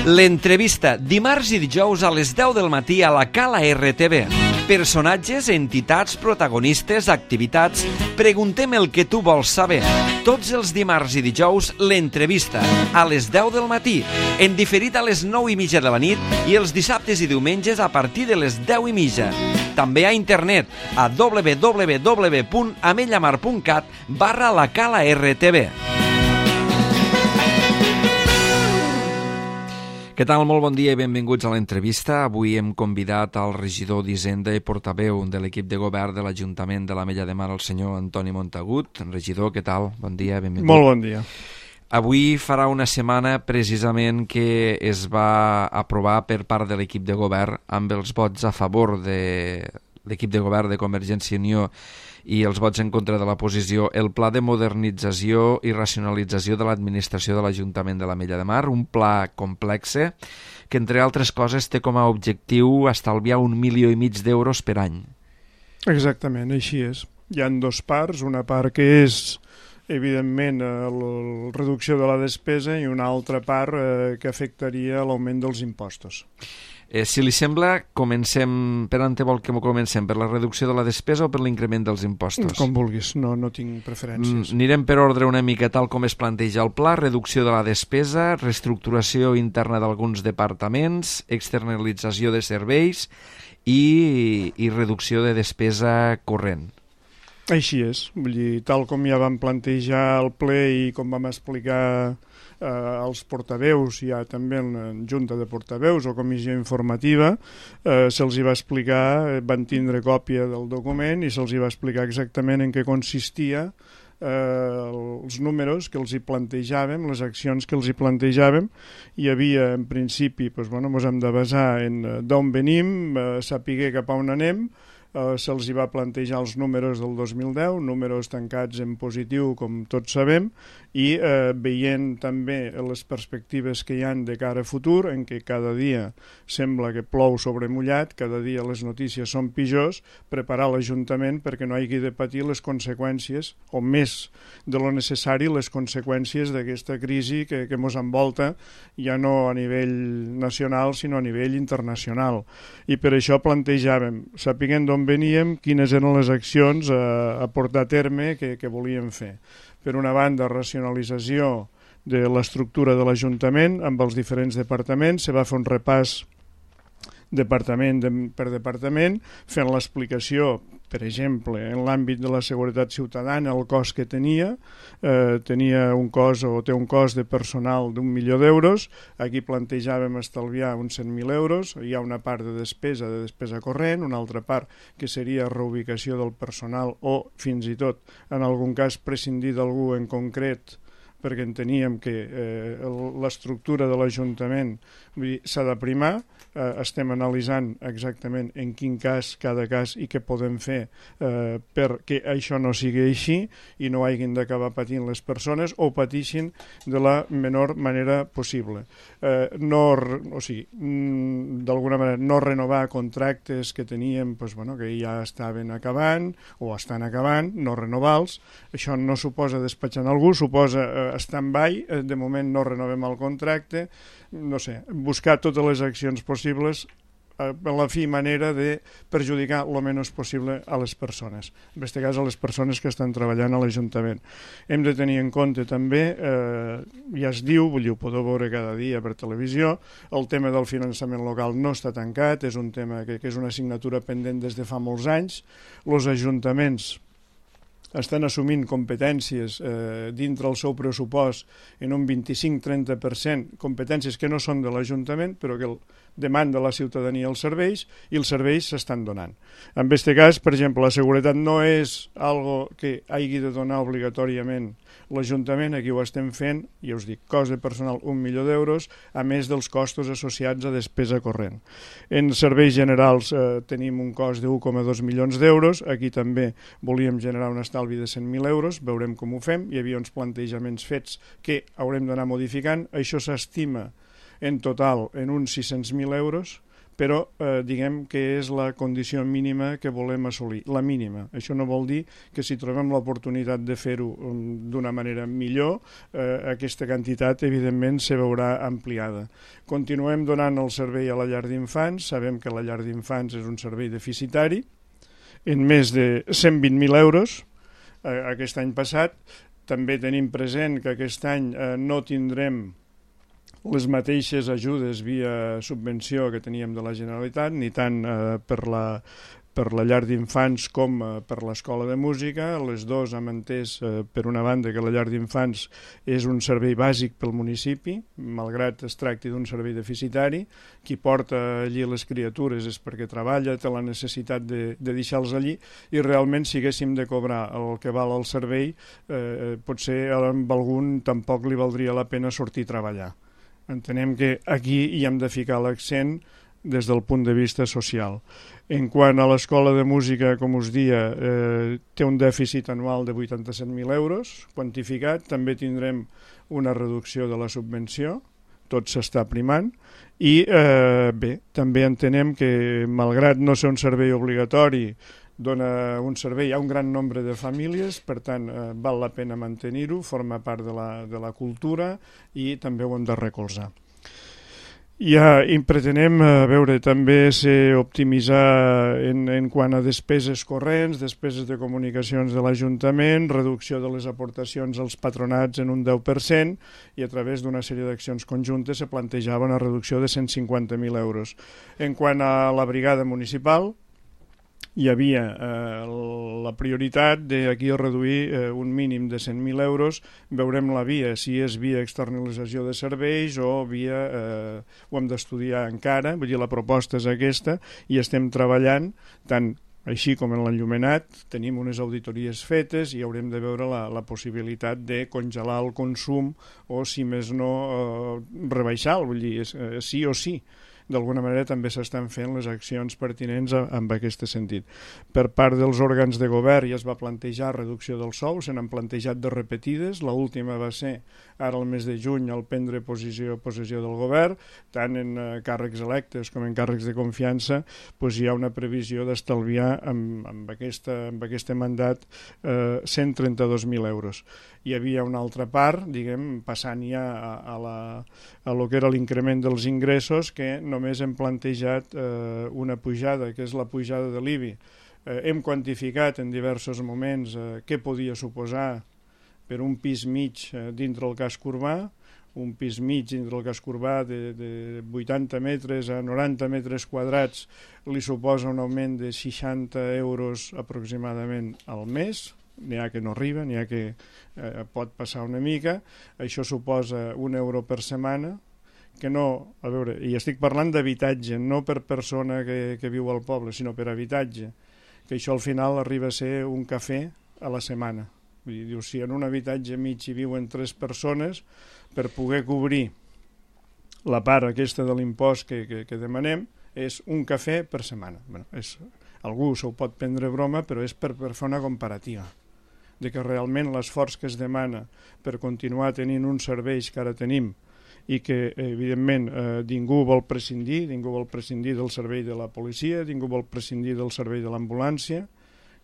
L'entrevista, dimarts i dijous a les 10 del matí a la Cala RTV. Personatges, entitats, protagonistes, activitats... Preguntem el que tu vols saber. Tots els dimarts i dijous, l'entrevista, a les 10 del matí, en diferit a les 9:30 de la nit i els dissabtes i diumenges a partir de les 10:30. També a internet, a www.amellamar.cat/la Cala RTV. Què tal? Molt bon dia i benvinguts a l'entrevista. Avui hem convidat al regidor d'Hisenda i portaveu de l'equip de govern de l'Ajuntament de l'Ametlla de Mar, el senyor Antoni Montagut. Regidor, què tal? Bon dia, benvingut. Molt bon dia. Avui farà una setmana precisament que es va aprovar per part de l'equip de govern amb els vots a favor de l'equip de govern de Convergència i Unió i els vots en contra de la posició, el pla de modernització i racionalització de l'administració de l'Ajuntament de l'Ametlla de Mar, un pla complexe que, entre altres coses, té com a objectiu estalviar 1,5 milions d'euros per any. Exactament, així és. Hi ha dues parts, una part que és, evidentment, la reducció de la despesa i una altra part que afectaria l'augment dels impostos. Si li sembla, comencem... Per on vol que comencem? Per la reducció de la despesa o per l'increment dels impostos? Com vulguis, no tinc preferències. Anirem per ordre una mica tal com es planteja el pla: reducció de la despesa, reestructuració interna d'alguns departaments, externalització de serveis i reducció de despesa corrent. Així és, vull dir, tal com ja vam plantejar el ple i com vam explicar als portaveus, ja també en junta de portaveus o comissió informativa, se'ls hi va explicar, van tindre còpia del document i se'ls hi va explicar exactament en què consistia els números que els hi plantejàvem, les accions que els hi plantejàvem. Hi havia, en principi, ens hem de basar en d'on venim, saber cap a on anem. Se'ls hi va plantejar els números del 2010, números tancats en positiu, com tots sabem, i veient també les perspectives que hi han de cara a futur, en què cada dia sembla que plou sobre mullat, cada dia les notícies són pitjors, preparar l'Ajuntament perquè no hagi de patir les conseqüències, o més de lo necessari, les conseqüències d'aquesta crisi que ens envolta, ja no a nivell nacional, sinó a nivell internacional. I per això plantejàvem, sapiguem d'on veníem, quines eren les accions a portar a terme que volíem fer. Per una banda, racionalització de l'estructura de l'Ajuntament amb els diferents departaments. Se va fer un repàs departament per departament, fent l'explicació, per exemple, en l'àmbit de la seguretat ciutadana, el cost que tenia un cost o té un cost de personal d'1 milió d'euros. Aquí plantejàvem estalviar uns 100.000 euros. Hi ha una part de despesa corrent, una altra part que seria reubicació del personal o, fins i tot, en algun cas, prescindir d'algú en concret, perquè enteníem que l'estructura de l'Ajuntament s'ha de primar. Estem analitzant exactament en quin cas, cada cas, i què podem fer perquè això no sigui així i no hagin d'acabar patint les persones o pateixin de la menor manera possible. D'alguna manera, no renovar contractes que teníem, que ja estaven acabant o estan acabant, no renovar-los. Això no suposa despatxar algú, suposa stand-by, de moment no renovem el contracte. Buscar totes les accions possibles a la fi manera de perjudicar el menys possible a les persones, en aquest cas a les persones que estan treballant a l'Ajuntament. Hem de tenir en compte també, ja es diu, ho podeu veure cada dia per televisió, el tema del finançament local no està tancat, és un tema que és una assignatura pendent des de fa molts anys. Els ajuntaments estan assumint competències dintre el seu pressupost en un 25-30%, competències que no són de l'Ajuntament, però que demanda la ciutadania els serveis, i els serveis s'estan donant. En aquest cas, per exemple, la seguretat no és algo que hagi de donar obligatòriament l'Ajuntament. Aquí ho estem fent, ja us dic, cost de personal 1 milió d'euros, a més dels costos associats a despesa corrent. En serveis generals tenim un cost de 1,2 milions d'euros. Aquí també volíem generar un estalvi de 100.000 euros, veurem com ho fem. Hi havia uns plantejaments fets que haurem d'anar modificant. Això s'estima en total en uns 600.000 euros, però diguem que és la condició mínima que volem assolir, la mínima. Això no vol dir que si trobem l'oportunitat de fer-ho d'una manera millor, aquesta quantitat evidentment se veurà ampliada. Continuem donant el servei a la llar d'infants, sabem que la llar d'infants és un servei deficitari, en més de 120.000 euros aquest any passat. També tenim present que aquest any no tindrem les mateixes ajudes via subvenció que teníem de la Generalitat, ni tant per la llar d'infants com per l'escola de música. Les dues hem entès, per una banda, que la llar d'infants és un servei bàsic pel municipi, malgrat es tracti d'un servei deficitari. Qui porta allí les criatures és perquè treballa, té la necessitat de deixar-los allí, i realment si haguéssim de cobrar el que val el servei, potser amb algun tampoc li valdria la pena sortir a treballar. Entenem que aquí hi hem de ficar l'accent des del punt de vista social. En quant a l'escola de música, com us dia, té un dèficit anual de 87.000 euros, quantificat. També tindrem una reducció de la subvenció, tot s'està primant, i bé, també entenem que, malgrat no ser un servei obligatori, dona un servei a un gran nombre de famílies, per tant val la pena mantenir-ho, forma part de la cultura i també ho hem de recolzar. I pretenem també optimitzar en quant a despeses corrents, despeses de comunicacions de l'Ajuntament, reducció de les aportacions als patronats en un 10%, i a través d'una sèrie d'accions conjuntes se plantejava una reducció de 150.000 euros. En quant a la brigada municipal, hi havia la prioritat d'aquí a reduir un mínim de 100.000 euros. Veurem la via, si és via externalització de serveis o via... ho hem d'estudiar encara, vull dir, la proposta és aquesta, i estem treballant tant així com en l'enllumenat. Tenim unes auditories fetes i haurem de veure la possibilitat de congelar el consum o, si més no, rebaixar-lo, vull dir, sí o sí. D'alguna manera també s'estan fent les accions pertinents en aquest sentit. Per part dels òrgans de govern ja es va plantejar reducció dels sous, se n'han plantejat de repetides. L'última va ser ara al mes de juny al prendre possessió del govern, tant en càrrecs electes com en càrrecs de confiança. Hi ha una previsió d'estalviar amb aquest mandat 132.000 euros. Hi havia una altra part, diguem, passant ja a lo que era l'increment dels ingressos, que només hem plantejat una pujada, que és la pujada de l'IBI. Hem quantificat en diversos moments què podia suposar per un pis mig dintre el casc urbà. Un pis mig dintre el casc urbà de 80 metres a 90 metres quadrats li suposa un augment de 60 euros aproximadament al mes. N'hi ha que no arriba, n'hi ha que pot passar una mica. Això suposa €1 per setmana, que no, a veure, i estic parlant d'habitatge, no per persona que viu al poble, sinó per habitatge, que això al final arriba a ser un cafè a la setmana. Vull dir, diu, si en un habitatge mig hi viuen 3 persones, per poder cobrir la part aquesta de l'impost que demanem, és un cafè per setmana. Bueno, algú s'ho pot prendre broma, però és per fer una comparativa, de que realment l'esforç que es demana per continuar tenint uns serveis que ara tenim i que, evidentment, ningú vol prescindir del servei de la policia, ningú vol prescindir del servei de l'ambulància,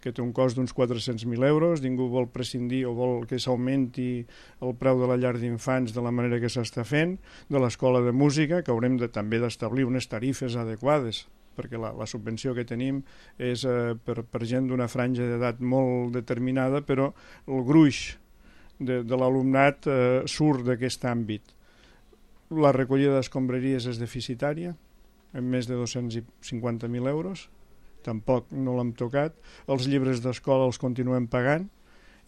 que té un cost d'uns 400.000 euros, ningú vol prescindir o vol que s'augmenti el preu de la llar d'infants de la manera que s'està fent, de l'escola de música, que haurem també d'establir unes tarifes adequades, perquè la subvenció que tenim és per gent d'una franja d'edat molt determinada, però el gruix de l'alumnat surt d'aquest àmbit. La recollida d'escombraries és deficitària, amb més de 250.000 euros, tampoc no l'hem tocat. Els llibres d'escola els continuem pagant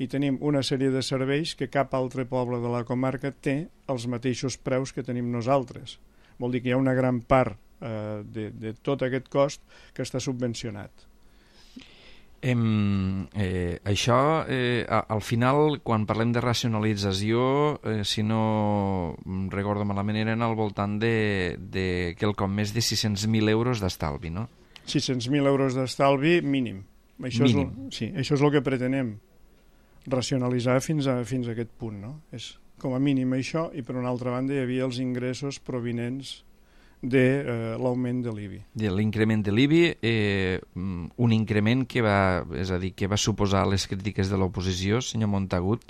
i tenim una sèrie de serveis que cap altre poble de la comarca té els mateixos preus que tenim nosaltres. Vol dir que hi ha una gran part de tot aquest cost que està subvencionat. Això, al final, quan parlem de racionalització, si no recordo malament, eren al voltant de quelcom més de 600.000 euros d'estalvi, no? 600.000 euros d'estalvi mínim. Mínim. Sí, això és el que pretenem, racionalitzar fins a aquest punt, no? És com a mínim això, i per una altra banda hi havia els ingressos provinents de l'augment de l'IBI. L'increment de l'IBI, un increment que va suposar les crítiques de l'oposició, senyor Montagut,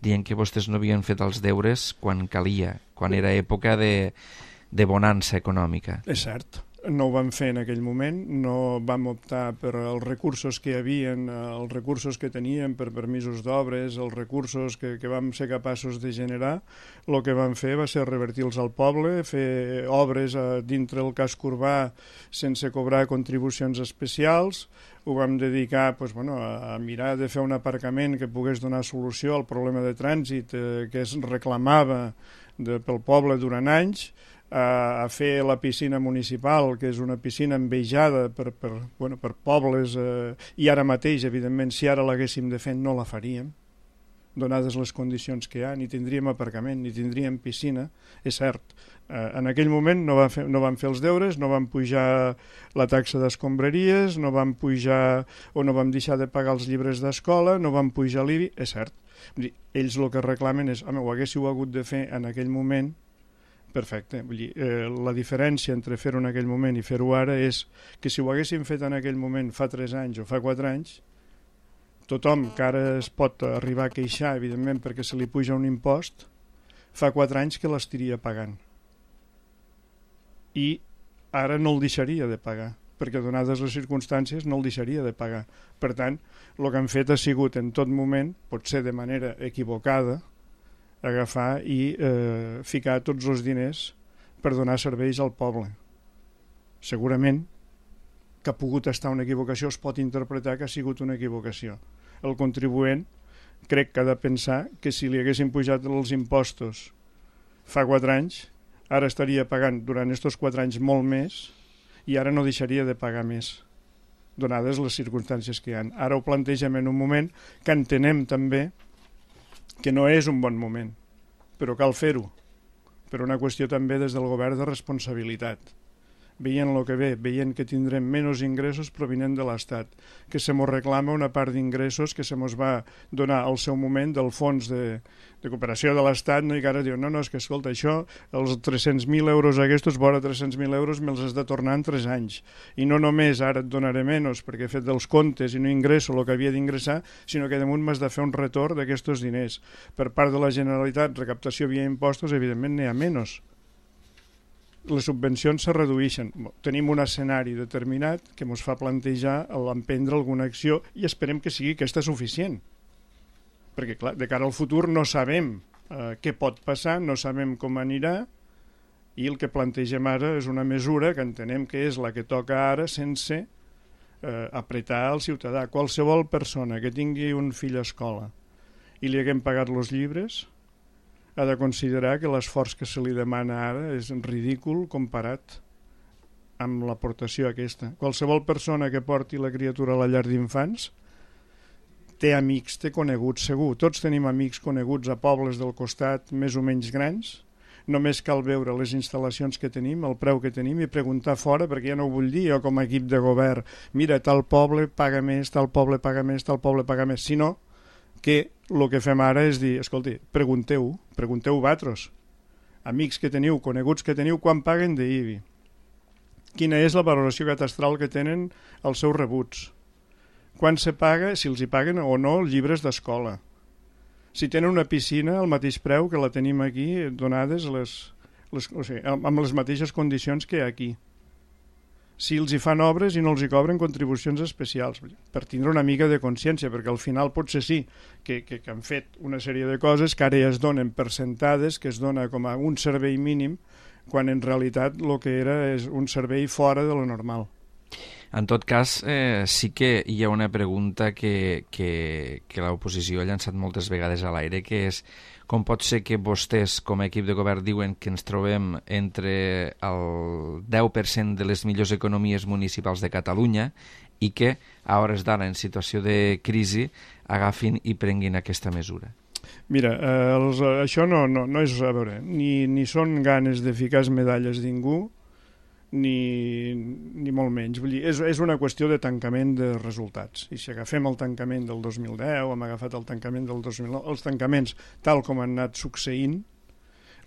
dient que vostès no havien fet els deures quan calia, quan era època de bonança econòmica. És cert. No ho vam fer en aquell moment, no vam optar per els recursos que hi havia, els recursos que teníem per permisos d'obres, els recursos que vam ser capaços de generar. El que vam fer va ser revertir-los al poble, fer obres dintre el casc urbà sense cobrar contribucions especials. Ho vam dedicar a mirar de fer un aparcament que pogués donar solució al problema de trànsit que es reclamava pel poble durant anys, a fer la piscina municipal, que és una piscina envejada per pobles, i ara mateix, evidentment, si ara l'haguéssim de fer no la faríem, donades les condicions que hi ha, ni tindríem aparcament, ni tindríem piscina, és cert. En aquell moment no vam fer els deures, no vam pujar la taxa d'escombraries, no vam pujar o no vam deixar de pagar els llibres d'escola, no vam pujar l'IBI, és cert. Ells el que reclamen és, home, ho haguéssiu hagut de fer en aquell moment, perfecte. Vull dir, la diferència entre fer-ho en aquell moment i fer-ho ara és que si ho haguéssim fet en aquell moment fa 3 anys o fa 4 anys, tothom que ara es pot arribar a queixar, evidentment, perquè se li puja un impost, fa 4 anys que l'estiria pagant. I ara no el deixaria de pagar, perquè donades les circumstàncies no el deixaria de pagar. Per tant, el que han fet ha sigut en tot moment, potser de manera equivocada, agafar i ficar tots els diners per donar serveis al poble. Segurament que ha pogut estar una equivocació, es pot interpretar que ha sigut una equivocació. El contribuent crec que ha de pensar que si li haguessin pujat els impostos fa 4 anys, ara estaria pagant durant aquests 4 anys molt més i ara no deixaria de pagar més, donades les circumstàncies que hi ha. Ara ho plantegem en un moment que entenem també que no és un bon moment, però cal fer-ho, per una qüestió també des del govern de responsabilitat. Veient el que ve, veient que tindrem menys ingressos provinent de l'Estat, que se mos reclama una part d'ingressos que se mos va donar al seu moment del fons de cooperació de l'Estat, no? I que ara diu, no, és que escolta, això, els 300.000 euros aquests, vora 300.000 euros me'ls has de tornar en 3 anys. I no només ara et donaré menys perquè he fet dels comptes i no ingresso el que havia d'ingressar, sinó que damunt m'has de fer un retorn d'aquests diners. Per part de la Generalitat, recaptació via impostos, evidentment n'hi ha menys. Les subvencions se redueixen. Tenim un escenari determinat que ens fa plantejar l'emprendre alguna acció i esperem que sigui aquesta suficient. Perquè, clar, de cara al futur no sabem què pot passar, no sabem com anirà, i el que plantegem ara és una mesura que entenem que és la que toca ara sense apretar el ciutadà. Qualsevol persona que tingui un fill a escola i li haguem pagat els llibres ha de considerar que l'esforç que se li demana ara és ridícul comparat amb l'aportació aquesta. Qualsevol persona que porti la criatura a la llar d'infants té amics, té coneguts segur. Tots tenim amics coneguts a pobles del costat més o menys grans. Només cal veure les instal·lacions que tenim, el preu que tenim i preguntar fora, perquè ja no ho vull dir jo com a equip de govern, mira, tal poble paga més, tal poble paga més, tal poble paga més, sinó que el que fem ara és dir, escolti, pregunteu vosaltres, amics que teniu, coneguts que teniu, quan paguen d'IBI, quina és la valoració catastral que tenen els seus rebuts, quan se paga, si els hi paguen o no llibres d'escola, si tenen una piscina al mateix preu que la tenim aquí, donades amb les mateixes condicions que aquí, si els hi fan obres i no els hi cobren contribucions especials, per tindre una mica de consciència, perquè al final potser sí que han fet una sèrie de coses que ara ja es donen per sentades, que es dona com a un servei mínim, quan en realitat el que era és un servei fora de lo normal. En tot cas, sí que hi ha una pregunta que l'oposició ha llançat moltes vegades a l'aire, que és com pot ser que vostès, com a equip de govern, diuen que ens trobem entre el 10% de les millors economies municipals de Catalunya i que, a hores d'ara, en situació de crisi, agafin i prenguin aquesta mesura? Mira, això no és, a veure, ni són ganes de ficar medalles ningú, ni molt menys. Vull dir, és una qüestió de tancament de resultats. I si agafem el tancament del 2010, hem agafat el tancament del 2009, els tancaments tal com han anat succeint,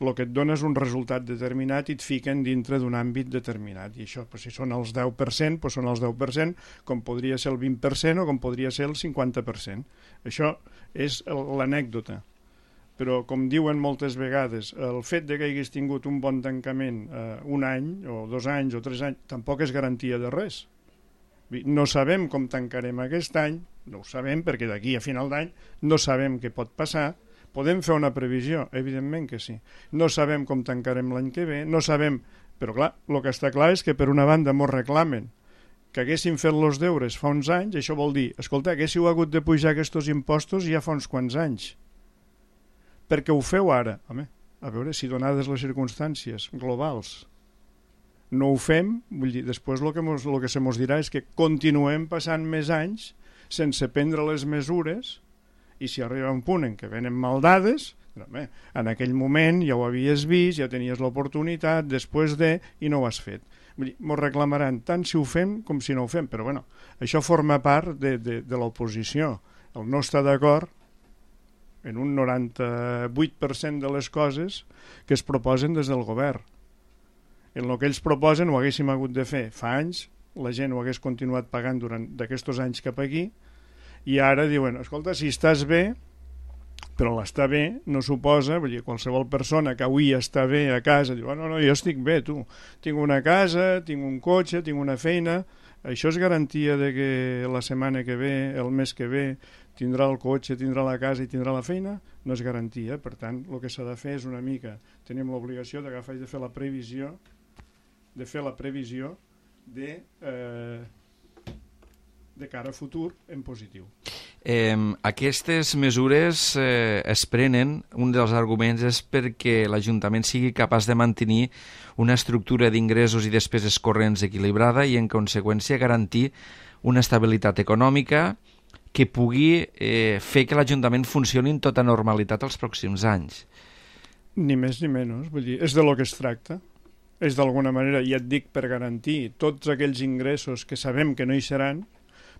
el que et dona és un resultat determinat i et fiquen dintre d'un àmbit determinat. I això, si són els 10%, són els 10%, com podria ser el 20% o com podria ser el 50%. Això és l'anècdota. Però, com diuen moltes vegades, el fet de que hagués tingut un bon tancament un any, o 2 anys, o 3 anys, tampoc és garantia de res. No sabem com tancarem aquest any, no ho sabem, perquè d'aquí a final d'any no sabem què pot passar. Podem fer una previsió? Evidentment que sí. No sabem com tancarem l'any que ve, no sabem... Però clar, el que està clar és que per una banda mos reclamen que haguéssim fet els deures fa uns anys, això vol dir, escolta, haguéssiu hagut de pujar aquests impostos ja fa uns quants anys. Perquè ho feu ara. Home, a veure, si donades les circumstàncies globals no ho fem, vull dir, després el que se mos dirà és que continuem passant més anys sense prendre les mesures, i si arriba un punt en què venen mal dades, home, en aquell moment ja ho havies vist, ja tenies l'oportunitat, després de, i no ho has fet. Vull dir, mos reclamaran tant si ho fem com si no ho fem, però bueno, això forma part de l'oposició. El no estar d'acord en un 98% de les coses que es proposen des del govern. En el que ells proposen ho haguéssim hagut de fer fa anys, la gent ho hagués continuat pagant durant d'aquests anys cap aquí, i ara diuen, escolta, si estàs bé, però l'estar bé no suposa, vull dir, qualsevol persona que avui està bé a casa, diu, no, jo estic bé, tu, tinc una casa, tinc un cotxe, tinc una feina, això és garantia de que la setmana que ve, el mes que ve, tindrà el cotxe, tindrà la casa i tindrà la feina? No és garantia. Per tant, el que s'ha de fer és una mica, tenim l'obligació d'agafar i de fer la previsió de cara a futur en positiu. Aquestes mesures es prenen, un dels arguments és perquè l'Ajuntament sigui capaç de mantenir una estructura d'ingressos i despeses corrents equilibrada i en conseqüència garantir una estabilitat econòmica que pugui fer que l'Ajuntament funcioni en tota normalitat els pròxims anys. Ni més ni menys, vull dir, és de lo que es tracta. És d'alguna manera, ja et dic, per garantir tots aquells ingressos que sabem que no hi seran,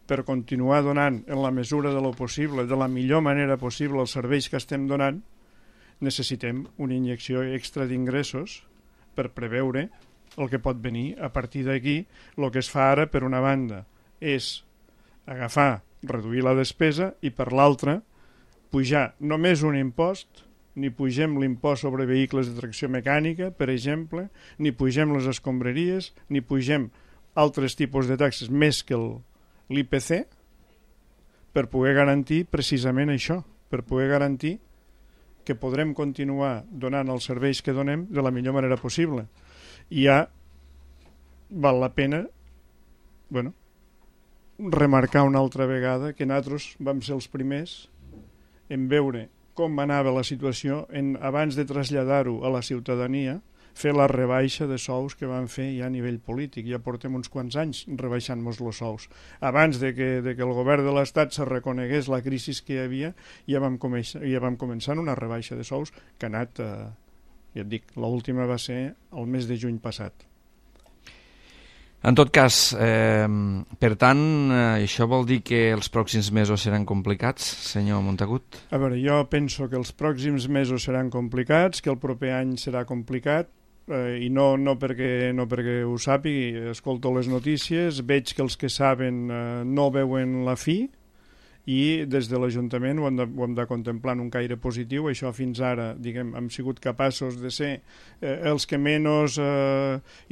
per continuar donant en la mesura de lo possible, de la millor manera possible els serveis que estem donant, necessitem una injecció extra d'ingressos per preveure el que pot venir. A partir d'aquí, el que es fa ara, per una banda, és agafar, reduir la despesa i per l'altra, pujar només un impost, ni pugem l'impost sobre vehicles de tracció mecànica, per exemple, ni pugem les escombraries, ni pugem altres tipus de taxes més que l'IPC, per poder garantir precisament això, per poder garantir que podrem continuar donant els serveis que donem de la millor manera possible. I ja val la pena, remarcar una altra vegada que nosaltres vam ser els primers en veure com anava la situació abans de traslladar-ho a la ciutadania, fer la rebaixa de sous que van fer ja a nivell polític. Ja portem uns quants anys rebaixant-nos els sous. Abans de que el govern de l'Estat se reconegués la crisi que hi havia, ja vam començar una rebaixa de sous que ha anat, ja et dic, l'última va ser el mes de juny passat. En tot cas, per tant, això vol dir que els pròxims mesos seran complicats, senyor Montagut? A veure, jo penso que els pròxims mesos seran complicats, que el proper any serà complicat, i no perquè ho sàpigui, escolto les notícies, veig que els que saben no veuen la fi, i des de l'Ajuntament ho hem de contemplar en un caire positiu. Això fins ara, diguem, hem sigut capaços de ser els que menys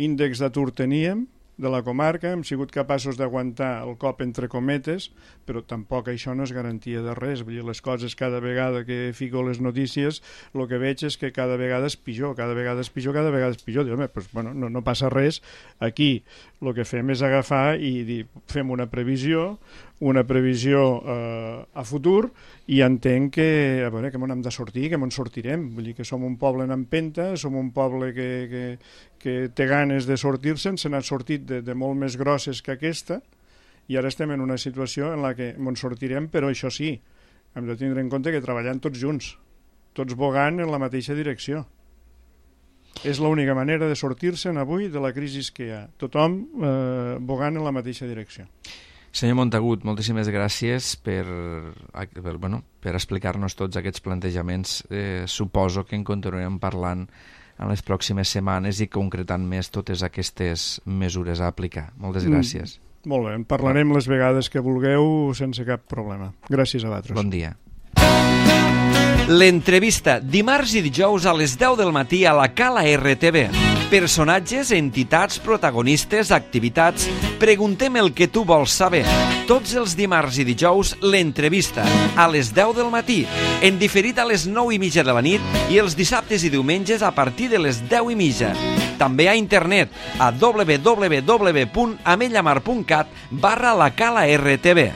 índex d'atur teníem de la comarca, hem sigut capaços d'aguantar el cop entre cometes, però tampoc això no és garantia de res. Vull dir, les coses cada vegada que fico les notícies, el que veig és que cada vegada és pitjor, cada vegada és pitjor. Diu, home, doncs, no passa res. Aquí el que fem és agafar i dir, fem una previsió a futur, i entenc que m'ho hem de sortir, que m'ho sortirem. Vull dir que som un poble en empenta, som un poble que té ganes de sortir-se'n, se n'ha sortit de molt més grosses que aquesta, i ara estem en una situació en la que m'ho sortirem, però això sí, hem de tindre en compte que treballant tots junts, tots bogant en la mateixa direcció. És l'única manera de sortir-se'n avui de la crisi que hi ha, tothom bogant en la mateixa direcció. Senyor Montagut, moltíssimes gràcies per explicar-nos tots aquests plantejaments. Suposo que en continuarem parlant en les pròximes setmanes i concretant més totes aquestes mesures a aplicar. Moltes gràcies. Molt bé, en parlarem les vegades que vulgueu sense cap problema. Gràcies a vosaltres. Bon dia. L'entrevista, dimarts i dijous a les 10 del matí a la Cala RTV. Personatges, entitats, protagonistes, activitats. Preguntem el que tu vols saber. Tots els dimarts i dijous, l'entrevista, a les 10 del matí, en diferit a les 9:30 de la nit i els dissabtes i diumenges a partir de les 10:30. També a internet a www.amellamar.cat/la Cala RTV.